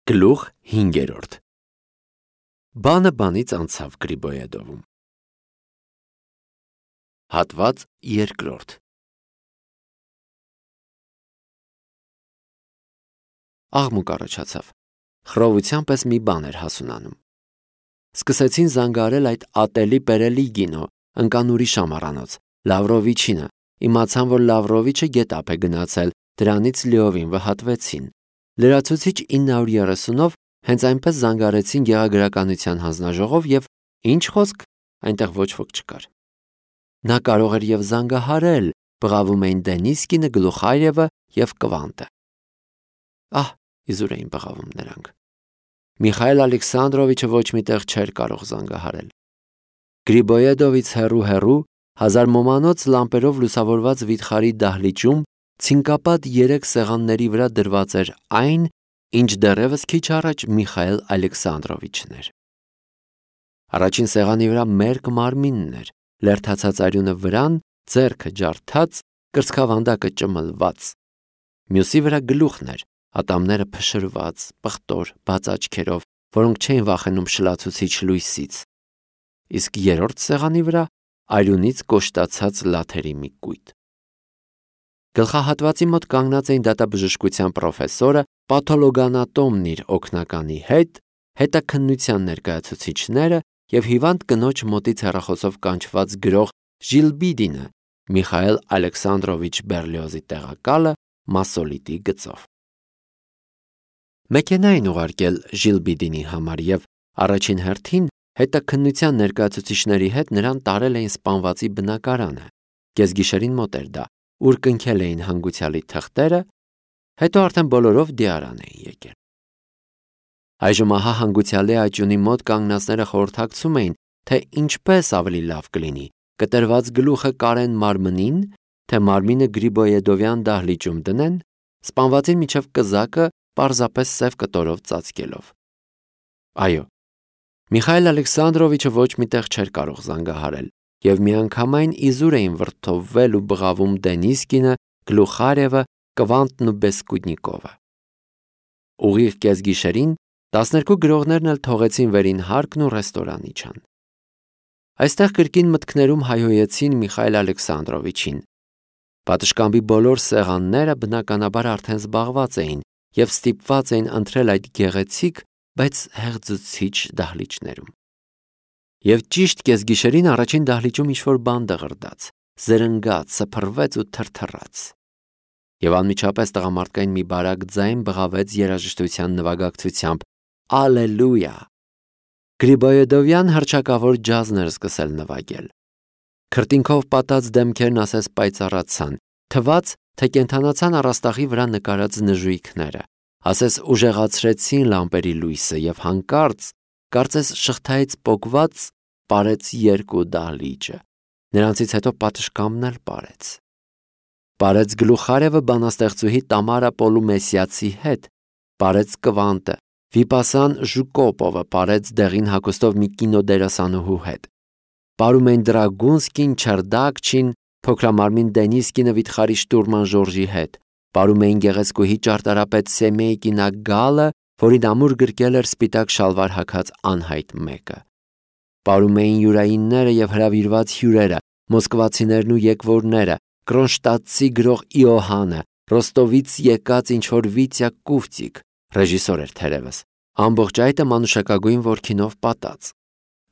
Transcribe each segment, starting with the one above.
Գլուխ 5. Բանը բանից անցավ Գրիբոյեդովում։ Հատված 2. Աղմուկ առաջացավ։ Խռովության պես մի բան էր հասունանում։ Սկսեցին զանգարել այդ ատելի պերելի գինո, ընկան ուրիշ ամառանոց, Լավրովիչինը, իմացան, որ Լավրովիչը գետափ է գնացել, դրանից լիովին վհատվեցին։ Լրացուցիչ 930-ով հենց այնպես զանգարեցին գեղագրականության հանձնաժողով և ինչ խոսք, այնտեղ ոչ ոք չկար։ Նա կարող էր և զանգահարել, բղավում էին Դենիսկինը, Գլուխարևը և Կվանտը։ Ահ, իզուր էին բղավում նրանք։ Միխայել Ալեքսանդրովիչը ոչ մի տեղ չէր կարող զանգահարել։ Գրիբոյեդովից հեռու, հազար մոմանոց լամպերով լուսավորված վիթխարի դահլիճում ցինկապատ 3 սեղանների վրա դրված էր այն, ինչ դեռևս քիչ առաջ Միխայել Ալեքսանդրովիչն էր։ Առաջին սեղանի վրա մերկ մարմինն էր, լերդացած արյունը վրան, ձեռքը ջարդած, կրծքավանդակը ճմլված։ Մյուսի վրա գլուխն էր, ատամները փշրված, պղտոր, բաց աչքերով, որոնք չէին վախենում շլացուցիչ լույսից։ Իսկ երրորդ սեղանի վրա արյունից կոշտացած լաթերի մի կույտ։ Գլխահատվածի մոտ կանգնած էին դատաբժշկության պրոֆեսորը, պաթոլոգանատոմն իր օգնականի հետ, հետաքննության ներկայացուցիչները և հիվանդ կնոջ մոտից հեռախոսով կանչված գրող Ժիլբիդինը, Միխայել Ալեքսանդրովիչ Բերլիոզի տեղակալը, մասոլիտի գծով։ Մեքենա էին ուղարկել Ժիլբիդինի համար և առաջին հերթին հետաքննության ներկայացուցիչների հետ նրան տարել էին սպանվածի բնակարանը։ Կեսգիշերին մոտ էր դա, ուր կնքել էին հանգուցյալի թղթերը, հետո արդեն բոլորով դիարան էին եկել։ Այժմ ահա հանգուցյալի աճյունի մոտ կանգնածները խորհրդակցում էին, թե ինչպես ավելի լավ կլինի՝ կտրված գլուխը կարեն մարմնին, թե մարմինը Գրիբոյեդովյան դահլիճում դնեն, սպանվածին միջև կզակը պարզապես սև կտորով ծածկելով։ Այո, Միխայել Ալեքսանդրովիչը ոչ մի տեղ չէր կարող զանգահարել, և միանգամայն իզուր էին վրդովվել ու բղավում Դենիսկինը, Գլուխարևը, Կվանտն ու Բեսկուդնիկովը։ Ուղիղ կեսգիշերին 12 գրողներն էլ թողեցին վերին հարկն ու ռեստորան իջան։ Այստեղ կրկին մտքներում հայհոյեցին Միխայել Ալեքսանդրովիչին։ Պատշգամբի բոլոր սեղանները բնականաբար արդեն զբաղված էին և ստիպված էին ընթրել այդ գեղեցիկ, բայց հեղձուցիչ դահլիճներում։ Եվ ճիշտ կեսգիշերին առաջին դահլիճում ինչ-որ բան դղրդաց, զրնգաց, սփռվեց ու թրթռաց։ Եվ անմիջապես տղամարդկային մի բարակ ձայն բղավեց երաժշտության նվագակցությամբ. «Ալելույա»։ Գրիբոյեդովյան հռչակավոր ջազն էր սկսել նվագել։ Քրտինքով պատած դեմքերն ասես պայծառացան, թվաց, թե կենդանացան առաստաղի վրա նկարած նժույգները, ասես ուժեղացրեցին լամպերի լույսը և հանկարծ, կարծես շղթայից պոկված, պարեց երկու դահլիճը։ Նրանցից հետո պատշգամբն էլ պարեց։ Պարեց Գլուխարևը բանաստեղծուհի Տամարա Պոլումեսյացի հետ, պարեց Կվանտը, Վիպասան Ժուկոպովը պարեց դեղին հագուստով մի կինոդերասանուհու հետ։ Պարում էին Դրագունսկին, Չերդակչին, փոքրամարմին Դենիսկինը վիթխարի շտուրման Ժորժի հետ։ Պարում էին գեղեցկուհի ճարտարապետ Սեմեյկինա Գալը, որին ամուր գրկել էր սպիտակ շալվար հագած անհայտ մեկը։ Պարում էին յուրայինները և հրավիրված հյուրերը, մոսկվացիներն ու եկվորները, կրոնշտադտցի գրող Իոհանը, Ռոստովից եկած ինչ-որ Վիտյա Կուվտիկ, ռեժիսոր էր թերևս, ամբողջ այդը մանուշակագույն որդինով պատած։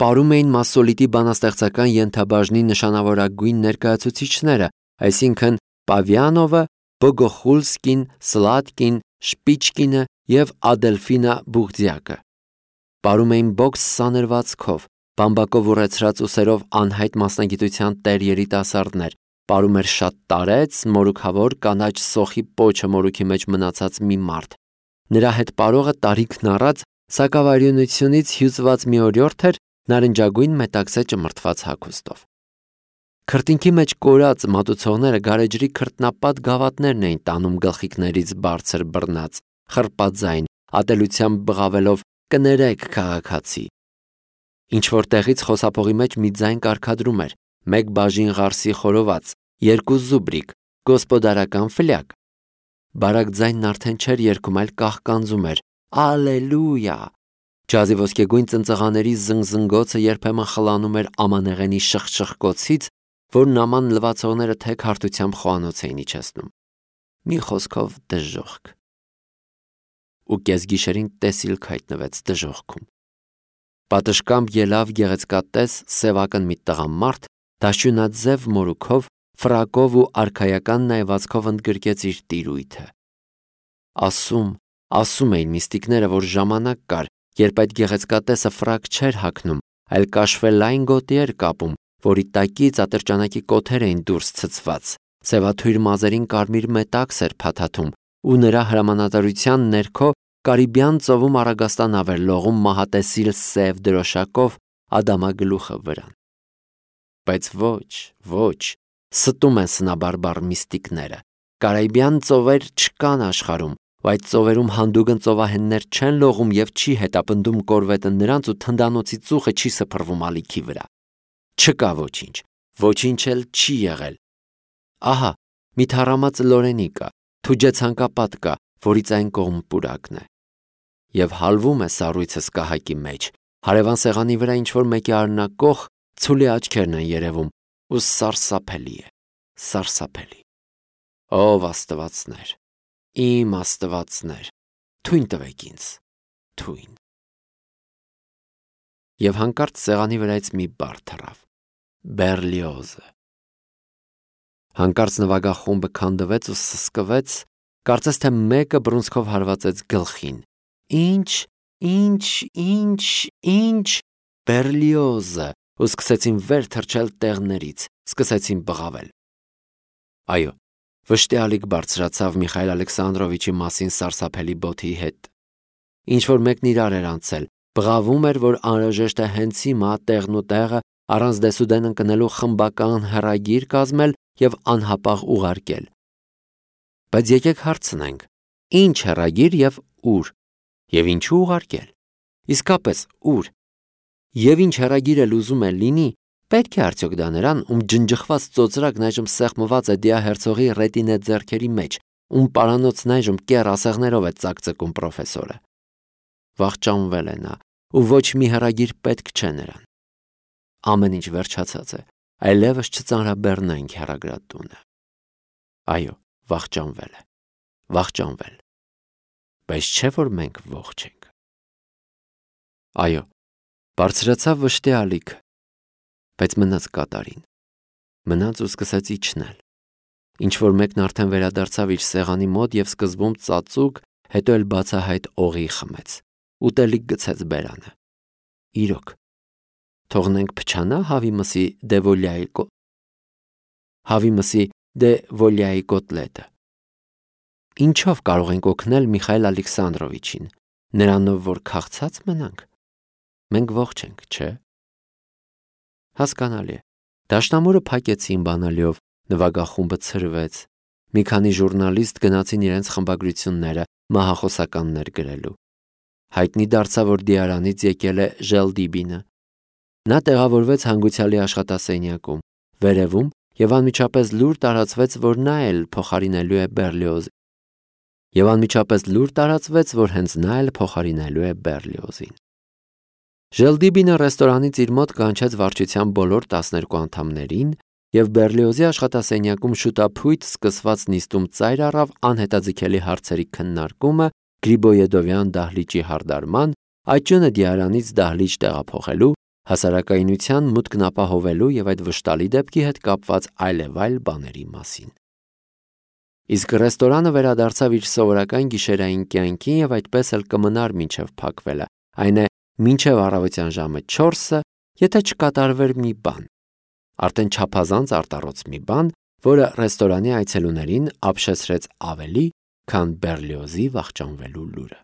Պարում էին մասոլիտի բանաստեղծական ենթաբաժնի նշանավորագույն ներկայացուցիչները, այսինքն Պավիանովը, Բոգոխուլսկին, Սլատկին, Շպիչկինը և Ադելֆինա Բուղդյակը։ Պարում էին բոքս սանրվածքով, բամբակով ուռեցրած ուսերով անհայտ մասնագիտության տեր երիտասարդներ, պարում էր շատ տարեց, մորուքավոր կանաչ սոխի պոչը մորուքի մեջ մնացած մի մարդ։ Նրա հետ պարողը տարիքն առած սակավարյունությունից հյուծված մի օրիորդ էր նարնջագույն մետաքսե ճմրթված հագուստով։ Քրտինքի մեջ կորած մատուցողները գարեջրի քրտնապատ գավաթներն էին տանում գլխիկներից բարձր բռնած, խռպաձայն, ատելությամբ բղավելով «Կներեք, քաղաքացի»։ Ինչ-որ տեղից խոսափողի մեջ մի ձայն կարգադրում էր. մեկ բաժին ղարսի խորոված, 2 զուբրիկ, գոսպոդարական ֆլյակ։ Բարակ ձայնն արդեն չէր երգում, այլ կաղկանձում էր. Ալելույա։ Ջազի ոսկեգույն ծնծղաների զնգզնգոցը երբեմն խլանում էր ամանեղենի շխշխկոցից, որ նաման լվացողները թեք հարթությամբ խոհանոց էին իջեցնում։ Մի խոսքով դժոխք։ Ու կեսգիշերին տեսիլք հայտնվեց դժոխքում։ Պատշգամբ ելավ գեղեցկատես սևական մի տղամարդ, դաշյունաձև մորուքով, ֆրակով ու արքայական նայվածքով ընդգրկեց իր տիրույթը։ Ասում էին միստիկները, որ ժամանակ կար, երբ այդ գեղեցկատեսը ֆրակ չէր հագնում, այլ կաշվելային գոտի էր կապում, որի տակից ատրճանակի կոթեր էին դուրս ցցված, սևաթույր մազերին կարմիր մետաքս էր փաթաթում, ու նրա հրամանատարության ներքո Կարիբյան ծովում առագաստանավ էր լողում մահատեսիլ սև դրոշակով ադամագլուխը վրան։ Բայց ոչ, ստում են սնաբարբար միստիկները։ Կարիբյան ծովեր չկան աշխարհում, այդ ծովերում հանդուգն ծովահեններ չեն լողում եւ չի հետապնդում կորվետը նրանց ու թնդանոցի ծուխը չի սփռվում ալիքի վրա։ Չկա ոչինչ էլ չի եղել։ Ահա, մի թառամած լորենի կա, թուջե ցանկապատ կա, որից այն կողմ պուրակն է։ Եվ հալվում է սառույցը սկահակի մեջ, հարևան սեղանի վրա ինչ-որ մեկի արնակող ցուլի աչքերն են երևում, ու սարսափելի է, սարսափելի։ Ով աստվածներ, իմ աստվածներ, թույն տվեք ինձ, թույն։ Եվ հանկարծ սեղանի վրայից մի բառ թռավ. Բերլիոզը։ Հանկարծ նվագախումբը քանդվեց ու սսկվեց, կարծես թե մեկը բռունցքով հարվածեց գլխին։ Ինչ, Բերլիոզը, ու սկսեցին վեր թռչել տեղներից, սկսեցին բղավել։ Այո, վշտիալիկ բարձրացավ Միխայել Ալեքսանդրովիչի մասին սարսափելի բոթի հետ։ Ինչ-որ մեկն իրար էր անցել, բղավում էր, որ անհրաժեշտ է հենց հիմա տեղն ու տեղը առանց դեսուդեն ընկնելու խմբական հեռագիր կազմել և անհապաղ ուղարկել։ Բայց եկեք հարցնենք, ինչ հեռագիր և ուր, և ինչու ուղարկել։ Իսկապես ուր։ Եվ ինչ հեռագիր էլ ուզում է լինի, պետք է արդյոք դա նրան, ում ջնջխված ծոծրակն այժմ սեղմված է դիահերցողի ռետինե ձեռքերի մեջ, ում պարանոցն այժմ կեռ ասեղներով է ծակծկում պրոֆեսորը։ Վախճանվել է նա, ու ոչ մի հեռագիր պետք չէ նրան։ Ամեն ինչ վերջացած է, այլևս չծանրաբեռնենք հեռագրատունը։ Այո, վախճանվել է, վախճանվել։ Բայց չէ՞ որ մենք ողջ ենք։ Այո, բարձրացավ վշտիալիքը, բայց մնաց կատարին, մնաց ու սկսեց իջնել։ Ինչ-որ մեկն արդեն վերադարձավ իր սեղանի մոտ և սկզբում ծածուկ, հետո էլ բացահայտ օղի խմեց, ուտելիք գցեց բերանը։ Իրոք, թողնենք փչանա հավի մսի դե վոլյայի կոտլետը։ Ինչով կարող ենք օգնել Միխայել Ալեքսանդրովիչին, նրանով որ քաղցած մնանք։ Մենք ողջ ենք, չէ՞։ Հասկանալի է։ Դաշնամուրը փակեցին բանալիով, նվագախումբը ցրվեց։ Մի քանի ժուրնալիստ գնացին իրենց խմբագրությունները մահախոսականներ գրելու։ Հայտնի դարձավ, որ Դիարանից եկել է Ժելդիբինը։ Նա տեղավորվեց հանգուցյալի աշխատասենյակում, վերևում, և անմիջապես լուր տարածվեց, որ նա էլ փոխարինելու է Բերլիոզին։ Եվ անմիջապես լուր տարածվեց, որ հենց նա էլ փոխարինելու է Բերլիոզին։ Ժելդիբինը ռեստորանից իր մոտ կանչեց վարչության բոլոր 12 անդամներին, և Բերլիոզի աշխատասենյակում շուտափույթ սկսված նիստում ծայր առավ անհետաձգելի հարցերի քննարկումը Գրիբոյեդովյան դահլիճի հարդարման, աճյունը Դիարանից դահլիճ տեղափոխելու, հասարակայնության մուտքն ապահովելու և այդ վշտալի դեպքի հետ կապված այլևայլ բաների մասին։ Իսկ ռեստորանը վերադարձավ իր սովորական գիշերային կյանքին և այդպես էլ կմնար մինչև փակվելը, այն է մինչև առավոտյան ժամը 4-ը, եթե չկատարվեր մի բան, արդեն չափազանց արտառոց մի բան, որը ռեստորանի այցելուներին ապշեցրեց ավելի, քան Բերլիոզի վախճանվելու լուրը։